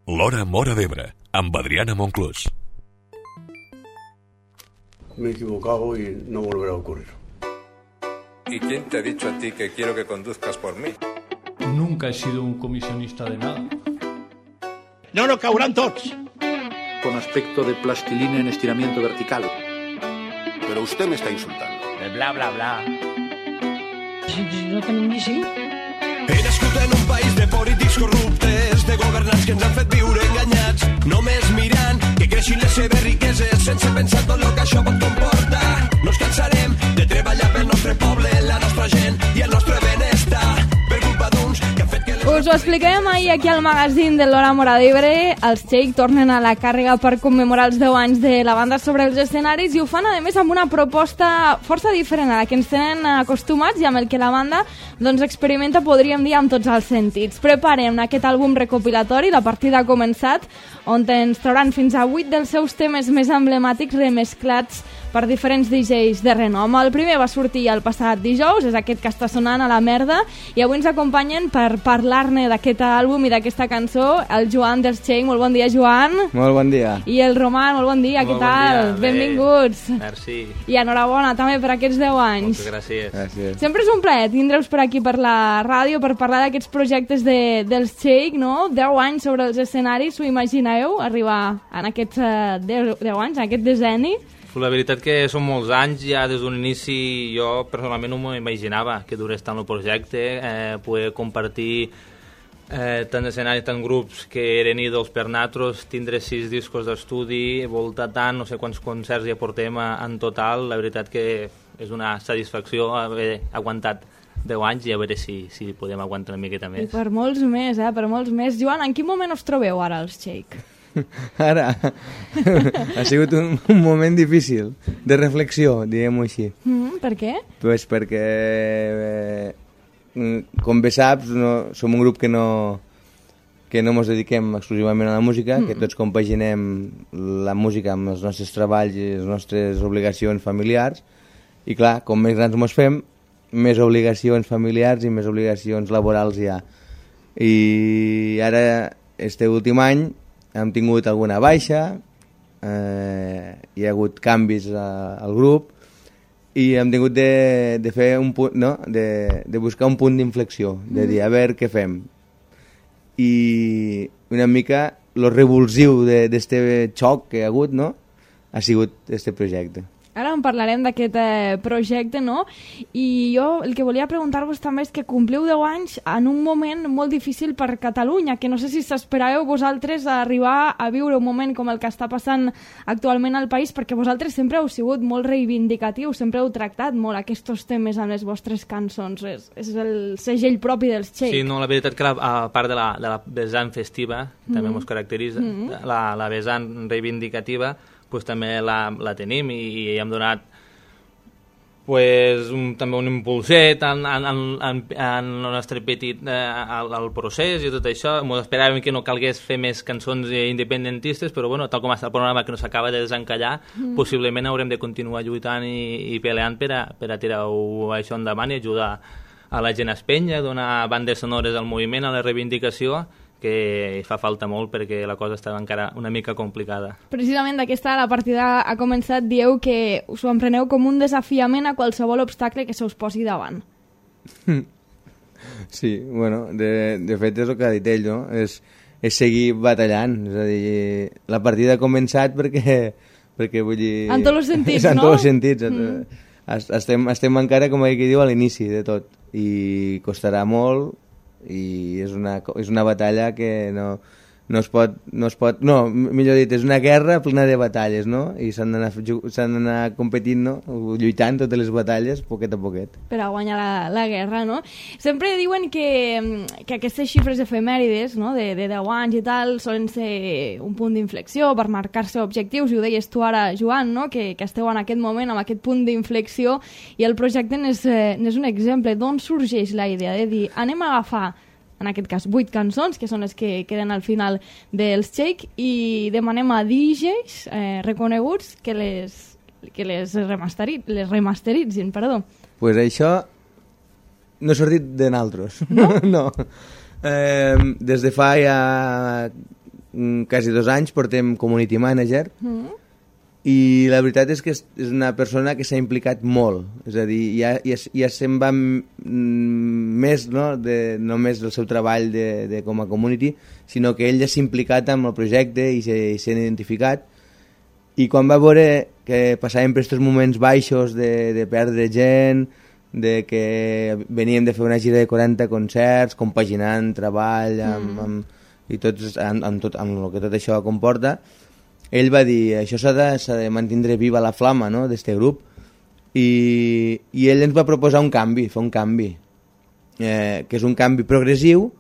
L'Hora Móra d'Ebre, amb Adriana Monclús. Me he equivocado y no volverá a ocurrir. ¿Y quién te ha dicho a ti que quiero que conduzcas por mí? Nunca he sido un comisionista de nada. No caurán tots. Con aspecto de plastilina en estiramiento vertical. Pero usted me está insultando. Bla, bla, bla. No tenim ni cinc. He nascut en un país de polítics corruptes, de governants que ens han fet viure enganyats, només mirant que creixin les seves riqueses sense pensar tot el que això pot comportar. No ens cansarem de treballar pel nostre poble, la nostra gent i el nostre benestar, per culpa d'uns que han fet que... Us ho expliquem ahir aquí al magazín de l'Hora Móra d'Ebre. Els Shake tornen a la càrrega per commemorar els 10 anys de la banda sobre els escenaris i ho fan, a més, amb una proposta força diferent a la que ens tenen acostumats i amb el que la banda doncs, experimenta, podríem dir, amb tots els sentits. Preparem aquest àlbum recopilatori, La partida ha començat, on ens trauran fins a 8 dels seus temes més emblemàtics remesclats per diferents DJs de renom. El primer va sortir el passat dijous, és aquest que està sonant, A la merda, i avui ens acompanyen per parlar-ne d'aquest àlbum i d'aquesta cançó el Joan dels Shake. Molt bon dia, Joan. Molt bon dia. I el Roman, molt bon dia, què tal? Benvinguts. Merci. I enhorabona també per aquests 10 anys. Moltes gràcies. Sempre és un plaer tindre-us per aquí per la ràdio per parlar d'aquests projectes dels Shake, no? 10 anys sobre els escenaris, ho imagineu? Arribar en aquests 10 anys, en aquest decenni? La veritat que són molts anys, ja des d'un inici jo personalment no m'ho imaginava que durés tant el projecte, poder compartir tant escenaris, tant grups que eren ídols per nosaltres, tindre 6 discos d'estudi, voltar tant, no sé quants concerts ja portem en total. La veritat que és una satisfacció haver aguantat 10 anys i a veure si podem aguantar una miqueta més. I per molts més, per molts més. Joan, en quin moment us trobeu ara els Shake? Ara ha sigut un moment difícil de reflexió, diguem-ho així. Per què? Pues perquè com bé saps som un grup que no ens dediquem exclusivament a la música, que tots compaginem la música amb els nostres treballs i les nostres obligacions familiars, i clar, com més grans ens fem, més obligacions familiars i més obligacions laborals hi ha. I ara, este últim any, hem tingut alguna baixa, hi ha hagut canvis al grup i hem tingut de fer un punt, no? de buscar un punt d'inflexió, de dir a veure què fem. I una mica lo revulsiu d'este xoc que hi ha hagut, no? Ha sigut este projecte. Ara en parlarem d'aquest projecte, no? I jo el que volia preguntar-vos també és que compliu 10 anys en un moment molt difícil per Catalunya, que no sé si s'esperàveu vosaltres a arribar a viure un moment com el que està passant actualment al país, perquè vosaltres sempre heu sigut molt reivindicatius, sempre heu tractat molt aquests temes en les vostres cançons. És el segell propi dels Shake. Sí, no, la veritat que a part de la vessant festiva, també ens caracteritza, la vessant reivindicativa, pues també la tenim i hem donat també un impulset en el nostre petit al procés i tot això. Ens esperàvem que no calgués fer més cançons independentistes, però bueno, tal com està el programa que no s'acaba de desencallar, possiblement haurem de continuar lluitant i peleant per a tirar això endavant i ajudar a la gent a espenya, donar bandes sonores al moviment, a la reivindicació, que fa falta molt perquè la cosa estava encara una mica complicada. Precisament d'aquesta La partida ha començat, dieu que us ho empreneu com un desafiament a qualsevol obstacle que se us posi davant. Sí, bueno, de fet és el que ha dit ell, no? És seguir batallant, és a dir, la partida ha començat perquè vull dir... En tots els sentits, no? En tots els sentits. Estem encara, com aquí diu, a l'inici de tot i costarà molt i és una batalla que no es pot, millor dit, és una guerra plena de batalles, no? I s'han d'anar competint, no? Lluitant totes les batalles, poquet a poquet. Per a guanyar la guerra, no? Sempre diuen que aquestes xifres efemèrides, no? de 10 anys i tal, solen ser un punt d'inflexió per marcar-se objectius, i ho deies tu ara, Joan, no? Que esteu en aquest moment, amb aquest punt d'inflexió, i el projecte n'és un exemple. D'on sorgeix la idea de dir, anem a agafar en aquest cas 8 cançons, que són les que queden al final dels Shake, i demanem a DJs reconeguts que les remasteritzin, perdó. Pues això no ha sortit de naltros. No? No. Des de fa ja quasi 2 anys portem community manager i la veritat és que és una persona que s'ha implicat molt, és a dir, ja se'n va més, no només del seu treball de com a community, sinó que ell ja s'ha implicat amb el projecte i s'ha identificat, i quan va veure que passàvem per aquests moments baixos de perdre gent, de que veníem de fer una gira de 40 concerts, compaginant treball i tots, amb el que tot això comporta, ell va dir, això s'ha de mantindre viva la flama, no?, d'este grup, i ell ens va proposar un canvi, fer un canvi, que és un canvi progressiu,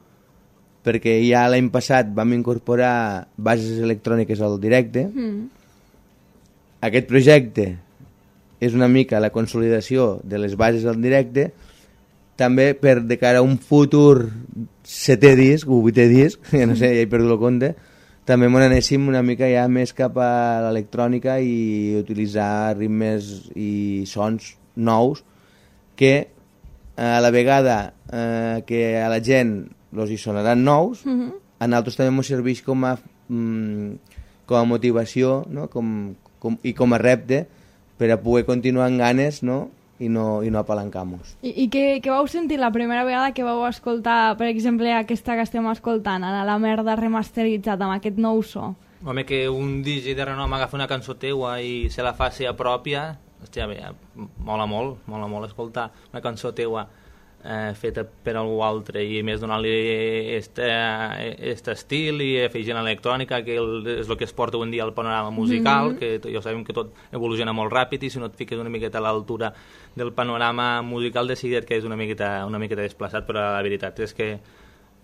perquè ja l'any passat vam incorporar bases electròniques al directe. Aquest projecte és una mica la consolidació de les bases al directe, també per de cara a un futur 7è disc, o 8è disc, ja no sé, ja he perdut el compte, també m'ho anéssim una mica ja més cap a l'electrònica i utilitzar ritmes i sons nous que a la vegada que a la gent els hi sonaran nous, a nosaltres també ens serveix com a motivació, no? I com a repte per a poder continuar amb ganes, no? I no apalancar-nos. I què vau sentir la primera vegada que vau escoltar, per exemple, aquesta que estem escoltant, ara La merda remasteritzat amb aquest nou so? Home, que un DJ de renom agafa una cançó teua i se la fa seva pròpia, hòstia, bé, mola molt escoltar una cançó teua feta per algú altre i més donar-li aquest estil i afegint l'electrònica, que és el que es porta avui en dia al panorama musical, que ja sabem que tot evoluciona molt ràpid i si no et fiques una miqueta a l'altura del panorama musical decidir que és una miqueta desplaçat, però la veritat és que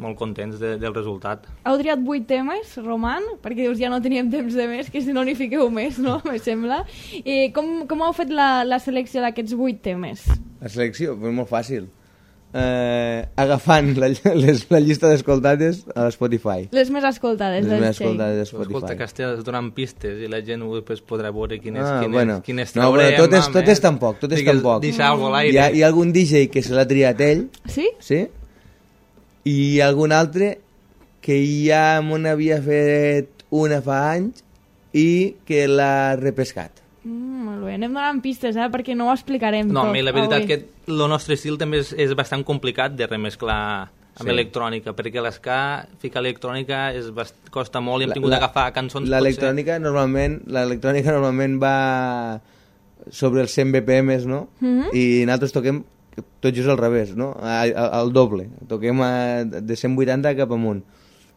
molt contents del resultat. Heu triat 8 temes, Roman, perquè dius ja no teníem temps de més, que si no n'hi fiqueu més, no? Me sembla. I com heu fet la selecció d'aquests 8 temes? La selecció? Pues molt fàcil. Agafant la llista d'escoltades a Spotify. Les més escoltades del Shake. Escolta, que estàs donant pistes i la gent podrà veure quines traurem. Tot és tan poc. Deixar algo a l'aire. Hi ha algun DJ que se l'ha triat ell. Sí? Sí. I algun altre que ja m'ho havia fet una fa anys i que l'ha repescat. Molt bé, anem donant pistes, perquè no ho explicarem tot. No, la veritat que el nostre estil també és bastant complicat de remesclar amb electrònica, perquè l'esca, ficar electrònica costa molt i hem tingut d'agafar cançons... L'electrònica normalment va sobre els 100 BPM, no? I nosaltres toquem tot just al revés, no? Al doble. Toquem de 180 cap amunt.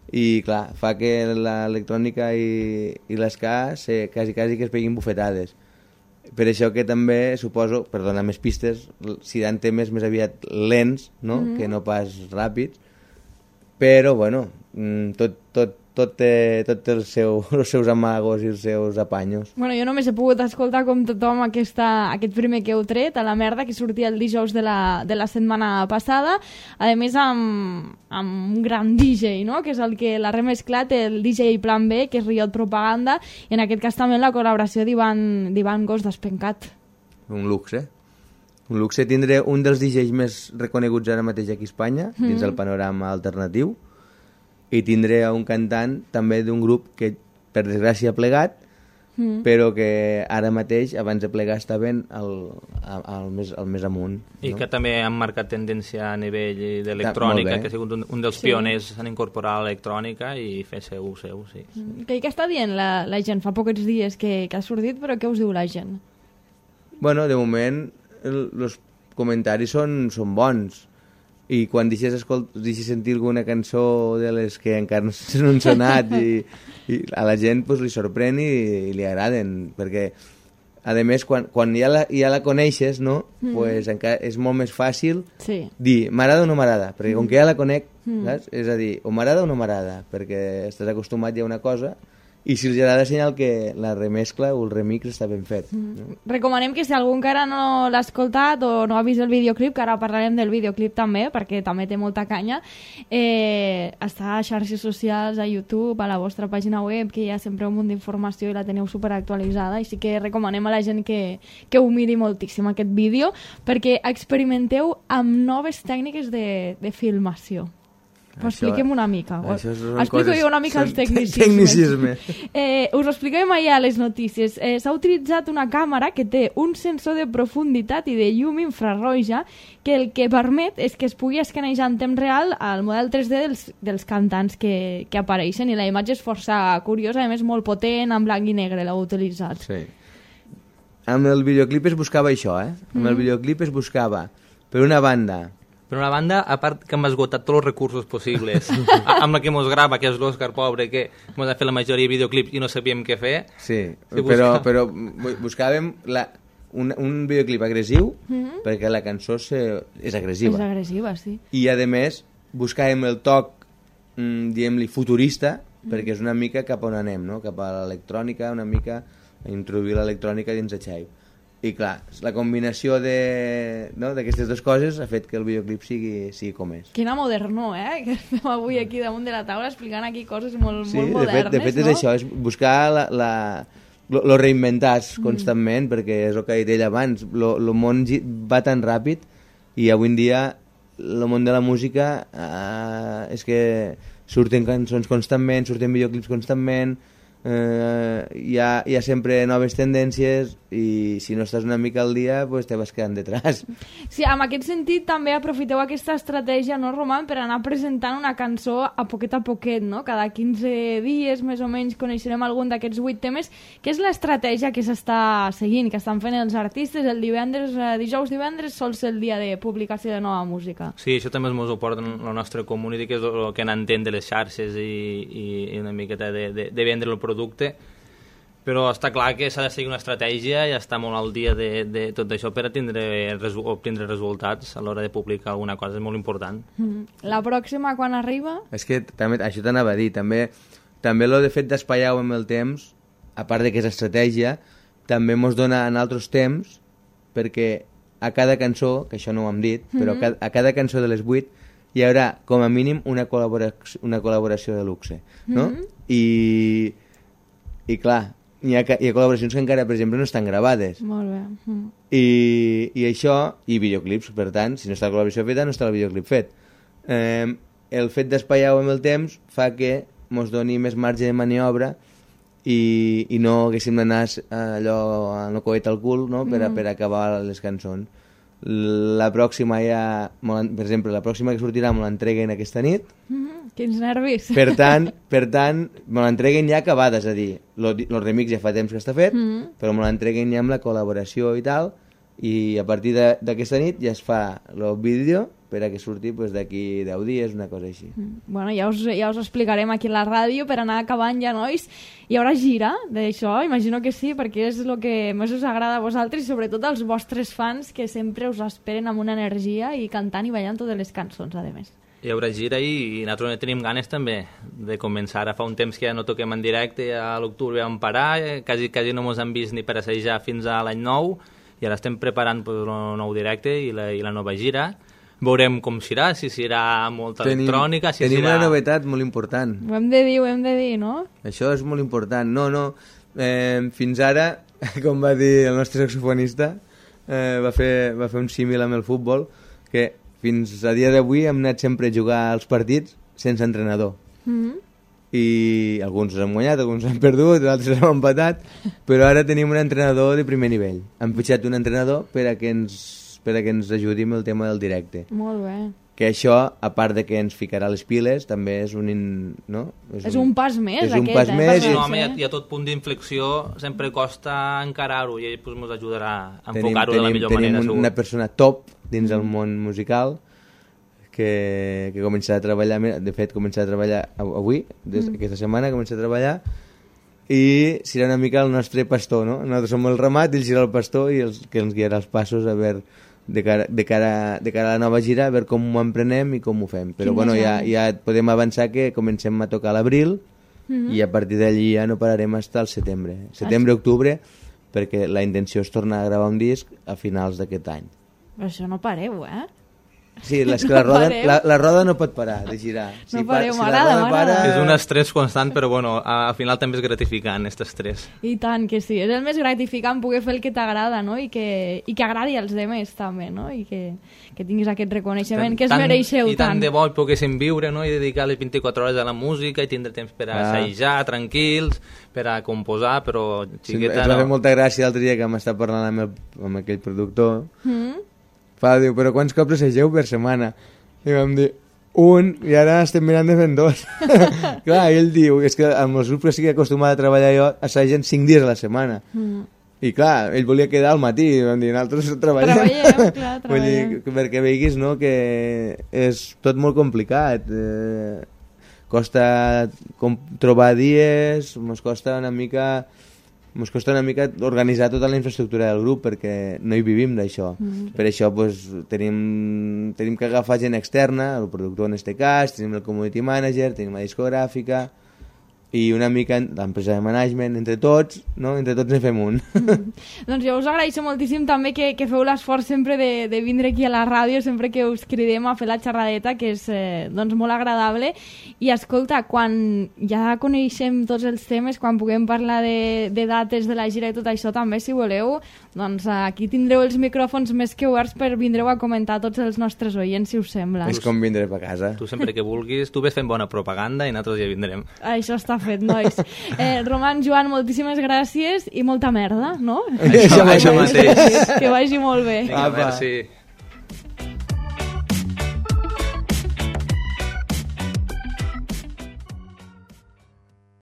I clar, fa que l'electrònica i l'esca quasi que es peguin bufetades. Per això que també suposo, per donar més pistes, seran temes més aviat lents, no? Que no pas ràpids, però bueno, tot té els seus amagos i els seus apanyos. Bueno, jo només he pogut escoltar com tothom aquest primer que heu tret, a La merda, que sortia el dijous de la setmana passada, a més amb un gran DJ, no?, que és el que l'ha remesclat, el DJ Plan B, que és Riot Propaganda, i en aquest cas també la col·laboració d'Ivan Gos d'Espencat. Un luxe. Un luxe tindre un dels DJs més reconeguts ara mateix aquí a Espanya, dins el panorama alternatiu, i tindré un cantant també d'un grup que per desgràcia ha plegat, però que ara mateix abans de plegar estaven al més amunt, i que també han marcat tendència a nivell d'electrònica, que ha sigut un dels pioners en incorporar l'electrònica i fer seu, sí. Què està dient la gent? Fa pocs dies que ha sortit, però què us diu la gent? Bueno, de moment els comentaris són bons, i quan deixes sentir alguna cançó de les que encara no s'han sonat i a la gent pues, li sorprèn i li agraden, perquè a més quan ja la coneixes, no? Pues encara és molt més fàcil dir m'agrada o no m'agrada, perquè com que ja la conec, saps? És a dir, o m'agrada o no m'agrada, perquè estàs acostumat ja a una cosa, i si els agrada senyal que la remescla o el remix està ben fet. Recomanem que si algú encara no l'ha escoltat o no ha vist el videoclip, que ara parlarem del videoclip també, perquè també té molta canya, està a xarxes socials, a YouTube, a la vostra pàgina web, que hi ha sempre un munt d'informació i la teniu superactualitzada, i sí que recomanem a la gent que ho miri moltíssim aquest vídeo, perquè experimenteu amb noves tècniques de filmació. Però expliquem una mica. Explico jo una mica els tecnicismes. Us ho expliquem allà a les notícies. S'ha utilitzat una càmera que té un sensor de profunditat i de llum infraroja que el que permet és que es pugui escanejar en temps real el model 3D dels cantants que apareixen, i la imatge és força curiosa, a més molt potent, en blanc i negre l'heu utilitzat. Sí. Amb el videoclip es buscava això, Amb el videoclip es buscava, per una banda, a part que hem esgotat tots els recursos possibles, amb la que mos grava, que és l'Òscar pobre, que mos ha fet la majoria de videoclips i no sabíem què fer. Sí, però buscàvem un videoclip agressiu, perquè la cançó és agressiva. És agressiva, sí. I, a més, buscàvem el toc, diguem-li, futurista, perquè és una mica cap on anem, no? Cap a l'electrònica, una mica a introduir l'electrònica dins de Xai. I clar, la combinació d'aquestes dues coses ha fet que el videoclip sigui com és. Quina modernó, que estem avui aquí damunt de la taula explicant aquí coses molt modernes, de fet és això, és buscar lo reinventar constantment, perquè és el que ha dit ell abans, el món va tan ràpid i avui en dia el món de la música és que surten cançons constantment, surten videoclips constantment, hi ha sempre noves tendències i si no estàs una mica al dia pues te vas quedant detrás. Sí, en aquest sentit també aprofiteu aquesta estratègia, no, Roman, per anar presentant una cançó a poquet, no? Cada 15 dies més o menys coneixerem algun d'aquests 8 temes. Què és l'estratègia que s'està seguint, que estan fent els artistes? El dijous-divendres sol ser el dia de publicació de nova música. Sí, això també ens ho porta la nostra community, que és el que n'entén de les xarxes i una miqueta de vendre el producte, però està clar que s'ha de seguir una estratègia i estar molt al dia de tot això per obtindre resultats a l'hora de publicar alguna cosa, és molt important. La pròxima quan arriba? És que també, això t'anava a dir, també el de fet d'espaiar-ho amb el temps, a part de que és estratègia, també ens dona en altres temps, perquè a cada cançó, que això no ho hem dit, però a cada cançó de les 8 hi haurà com a mínim una col·laboració de luxe, no? I clar, hi ha col·laboracions que encara, per exemple, no estan gravades. Molt bé. I això, i videoclips, per tant, si no està la col·laboració feta, no està el videoclip fet. El fet d'espaiar-ho amb el temps fa que ens doni més marge de maniobra i no haguéssim d'anar allò amb el coet al cul, no? Per acabar les cançons. La pròxima per exemple, la pròxima que sortirà me l'entreguen aquesta nit. Quins nervis. Per tant, me l'entreguen ja acabada, és a dir, el remix ja fa temps que està fet, però me l'entreguen ja amb la col·laboració i tal, i a partir d'aquesta nit ja es fa el vídeo per a que surti d'aquí 10 dies, una cosa així. Bueno, ja us explicarem aquí a la ràdio per anar acabant ja, nois. Hi haurà gira d'això? Imagino que sí, perquè és el que més us agrada a vosaltres i sobretot als vostres fans, que sempre us esperen amb una energia i cantant i ballant totes les cançons, a més. Hi haurà gira i nosaltres tenim ganes també de començar. Ara fa un temps que ja no toquem en directe, a l'octubre vam parar, quasi no ens han vist ni per assajar fins a l'any nou, i ara estem preparant el nou directe i la nova gira. Veurem com serà, si serà molta electrònica, si tenim serà... una novetat molt important. Ho hem de dir, no? Això és molt important. No. Fins ara, com va dir el nostre saxofonista, va fer un símil amb el futbol, que fins a dia d'avui hem anat sempre a jugar als partits sense entrenador. I alguns hem guanyat, alguns hem perdut, altres hem empatat, però ara tenim un entrenador de primer nivell. Hem fitxat un entrenador per a que ens ajudi amb el tema del directe. Molt bé. Que això, a part de que ens ficarà les piles, també és un... No? És un pas més, és un pas més. No, home, i a tot punt d'inflexió sempre costa encarar-ho i ell ens ajudarà a enfocar-ho de la millor manera. Tenim una persona top dins del món musical que començarà a treballar, de fet començarà a treballar avui, aquesta setmana començarà a treballar, i serà una mica el nostre pastor, no? Nosaltres som el ramat, ell serà el pastor i el que ens guiarà els passos a veure de cara a la nova gira, a veure com ho emprenem i com ho fem. Però bueno, ja podem avançar que comencem a tocar a l'abril i a partir d'allí ja no pararem fins al setembre-octubre, perquè la intenció és tornar a gravar un disc a finals d'aquest any. Però això no pareu, Sí, és que la roda no pot parar de girar. No pareu, m'agrada. És un estrès constant, però bueno, al final també és gratificant, aquest estrès. I tant que sí, és el més gratificant poder fer el que t'agrada, no? I que agradi als demés també, no? I que tinguis aquest reconeixement, que es mereixeu tant. I tant de bo poguéssim viure, no? I dedicar les 24 hores a la música i tindre temps per a assajar tranquils, per a composar, però xiqueta no. Ens va fer molta gràcia l'altre dia que m'està parlant amb aquell productor. Diu, però quants cops assageu per setmana? I vam dir, un, i ara estem mirant de fent 2. Clar, ell diu, és que amb els grups que estic acostumat a treballar jo, assagen 5 dies a la setmana. I clar, ell volia quedar al matí, i vam dir, nosaltres treballem. Vull dir, perquè veiguis, no?, que és tot molt complicat. Costa trobar dies, ens costa una mica organitzar tota la infraestructura del grup perquè no hi vivim d'això. Per això tenim que agafar gent externa, el productor en este cas, tenim el community manager, tenim la discogràfica i una mica l'empresa de management, entre tots en fem un. Doncs jo us agraeixo moltíssim també que feu l'esforç sempre de vindre aquí a la ràdio, sempre que us cridem a fer la xerradeta, que és molt agradable. I escolta, quan ja coneixem tots els temes, quan puguem parlar de dates de la gira i tot això també, si voleu, doncs aquí tindreu els micròfons més que oberts per vindreu a comentar tots els nostres oients, si us sembla. És com vindre a casa. Tu sempre que vulguis, tu ves fent bona propaganda i nosaltres ja vindrem. Això està fet, nois. Roman, Joan, moltíssimes gràcies i molta merda, no? Això mateix. Que vagi molt bé. Vinga, merci.